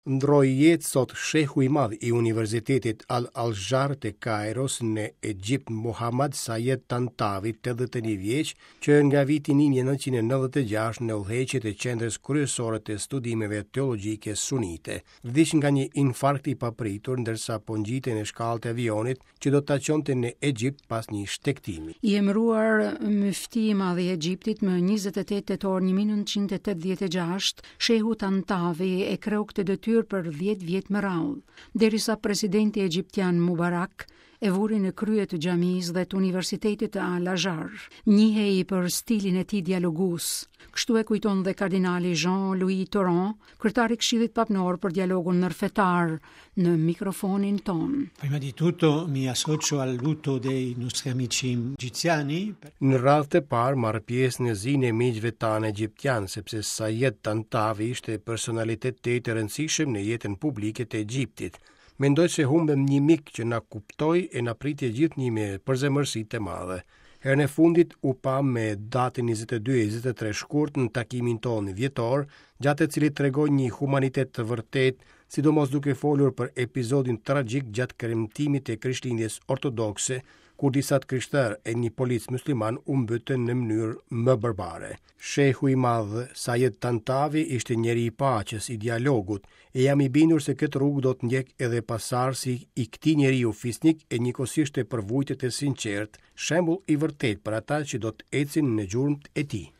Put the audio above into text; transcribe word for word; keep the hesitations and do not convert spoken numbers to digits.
Ndërroi jetë sot shehu i madh i Universitetit Al-Azhar të Kairos në Egjipt, Muhammad Sayed Tantavi, tetëdhjetë e një vjeç, që nga viti një mijë e nëntëqind e nëntëdhjetë e gjashtë në udhëheqje të qendrës kryesore të studimeve teologjike sunite. Vdiq nga një infarkt i papritur ndërsa po ngjitej në shkallët e avionit që do ta çonte në Egjipt pas një shtegtimi. I emëruar myfti i madh i Egjiptit më njëzet e tetë tetor një mijë e nëntëqind e tetëdhjetë e gjashtë, shehu Tantavi e kreu këtë detyrë për dhjetë vjet më radhë, derisa presidenti egjiptian Mubarak e vuri në krye të xhamisë dhe të Universitetit të Al-Azhar. Njihej për stilin e tij dialogues. Kështu e kujton dhe kardinali Jean-Louis Tauran, kryetari i Këshillit Papnor për dialogun ndërfetar, në mikrofonin ton. Prima di tutto mi associo al lutto dei nostri amici egiziani. Në radhë të parë marr pjesë në zinë e miqve tanë egjiptian, sepse Sayed Tantavi ishte personalitet tejet i rëndësishëm në jetën publike të Egjiptit. Mendoj se humbëm një mik që na kuptoi e na priti gjithnjë me përzemërsi të madhe. Herën e fundit u pa me datën njëzet e dy e njëzet e tre shkurt në takimin tonë vjetor, gjatë të cilit tregoi një humanitet të vërtet, sidomos duke folur për episodin tragjik gjatë kremtimit të Krishtlindjes ortodokse, kur disa të krishterë e një polic musliman u mbytën në mënyrë më barbare. Shehu i madh Sayed Tantavi ishte njeri i paqes, i dialogut, e jam i bindur se këtë rrugë do të ndjek edhe pasardhësi i këtij njeriu fisnik e njëkohësisht të përvujtët e sinqert, shembull i vërtet për ata që do të ecin në gjurmët e tij.